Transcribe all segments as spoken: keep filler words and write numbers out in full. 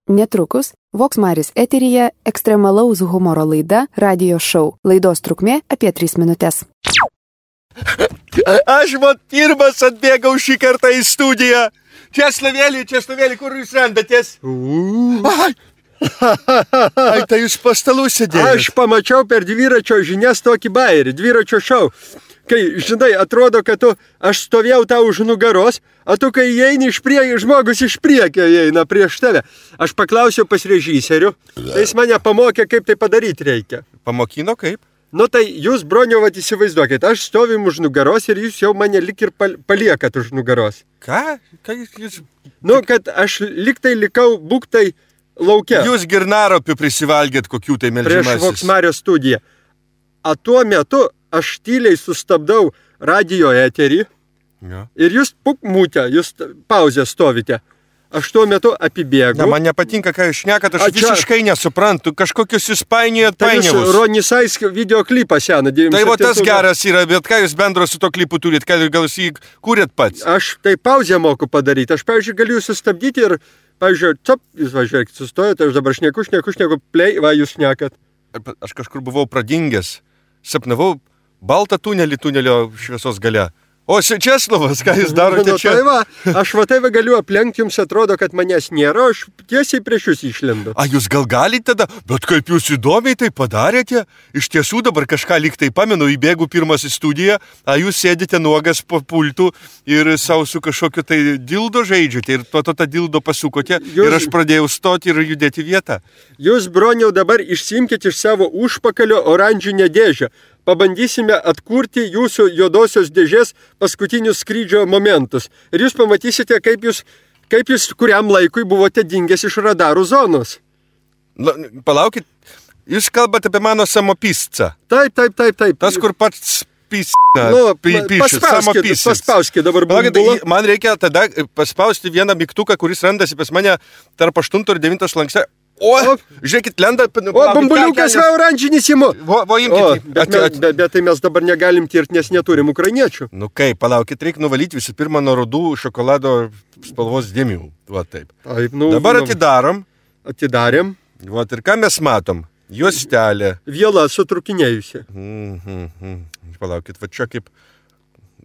Netrukus Vox Maris eteryje ekstremalaus humoro laida Radio Show. Laidos trukmė apie tris minutės. Aš vat pirmas atbėgau šį kartą į studiją. Česlavėlį, Česlavėlį, kur jūs randatės? Ai, Ai, tai jūs po stalu sėdėjot. aš pamačiau per dviračio žinias tokį bairį, dviračio šou. Kai, žinai, atrodo, kad tu, aš stovėjau tau už nugaros, o tu, kai įeini iš priekio, žmogus iš priekio įeina prieš tave. Aš paklausiau pas režisierių, tai jis mane pamokė, kaip tai padaryti reikia. Pamokino kaip? Nu tai jūs, broniau, vat įsivaizduokit, aš stovim už nugaros ir jūs jau mane lik ir pal- paliekat už nugaros. Ką? Ką jūs... Nu, kad aš lik tai likau būktai lauke. Jūs girnaropių prisivalgėt kokių tai melžimasis. Prieš Vox Mario studiją. O tuo metu aš tyliai sustabdau radio eterį Ja. ir jūs puk mūtę, jūs pauzę stovite. Aš tuo metu apibėgu. Na, man nepatinka, ką jūs šnekat, aš A, čia- visiškai nesuprantu. Kažkokius jūs painiojat Tai jūs painiavus. Ronisais videoklipą seną. Tai va tas geras yra, bet ką jūs bendro su to klipu turit, ką gal jūs jį kūrėt pats? Aš tai pauzę moku padaryti. Aš, pavyzdžiui, galiu jūs sustabdyti ir, pavyzdžiui, top, jūs važiuokit, sustojate, aš dabar šneku, šneku, šneku, play, va, jūs šnekat. Aš kažkur buvau pradingęs. Sapnavau baltą tunelį tunelio šviesos gale. O Česlovas, ką jūs darote Nu, čia? tai va, aš va tai va galiu aplenkti, jums atrodo, kad manęs nėra, aš tiesiai prieš jūs išlendu. A, jūs gal galite tada? Bet kaip jūs įdomiai tai padarėte? Iš tiesų dabar kažką lyg tai pamenu, įbėgu pirmas į studiją, a jūs sėdite nuogas po pultų ir savo su kažkokiu tai dildo žaidžiate ir to to tą dildo pasukote Jūs- ir aš pradėjau stoti ir judėti vietą. Jūs, broniau, dabar išsimkite iš savo užpakalio oranžinę dėžę. Pabandysime atkurti jūsų juodosios dėžės paskutinius skrydžio momentus. Ir jūs pamatysite, kaip jūs, kaip jūs kuriam laikui buvote dingęs iš radarų zonos. Na, palaukit, jūs kalbate apie mano samopiscą. Taip, taip, taip, taip. Tas, kur pats pis... Nu, pi- pišis, paspauskit, samopisis. paspauskit dabar Palaukit, bumbulą. tai man reikia tada paspausti vieną mygtuką, kuris randasi pas mane tarp aštunto ir devinto slankste. O, O. žiūrėkit, lenda... O, bambuliukas va oranžinis įmu. Vo, vo O, imkite. bet, mes, bet, bet tai mes dabar negalim tirti, nes neturim ukrainiečių. Nu kaip, palaukit, reikia nuvalyti visų pirma nuo rudų šokolado spalvos dėmių. Va taip. Taip, nu, Dabar nu, atidarom. atidarėm. Va ir ką mes matom? Juostelė. Viela sutrukinėjusi. Mhm, mhm. Palaukit, va čia kaip...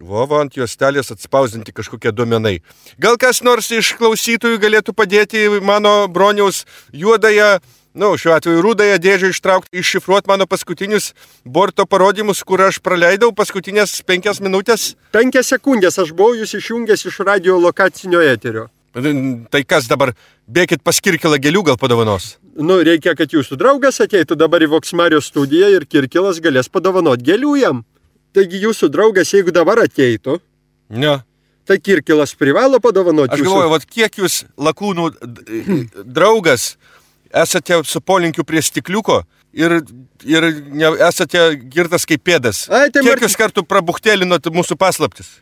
Vo, va, ant juostelės atspausinti kažkokie duomenai. Gal kas nors iš klausytojų galėtų padėti mano broniaus juodąją, nu, šiuo atveju rudąją dėžę ištraukti, iššifruoti mano paskutinius borto parodymus, kur aš praleidau paskutinės penkias minutės. Penkias sekundės aš buvau jūs išjungęs iš radio lokacinio eterio. Tai kas dabar, bėkit pas Kirkilą gėlių gal padovanos? Nu, reikia, kad jūsų draugas ateitų dabar į Vox Mario studiją ir Kirkilas galės padovanoti gėlių jam. Taigi jūsų draugas, jeigu dabar ateitų, Ne. tai Kirkilas privalo padovanoti Aš jūsų. galvoju, vat kiek jūs lakūnų d- draugas esate su polinkiu prie stikliuko ir, ir ne, esate girtas kaip pėdas. Ai, tai Kiek Marti- jūs kartų prabuchtėlinot mūsų paslaptis?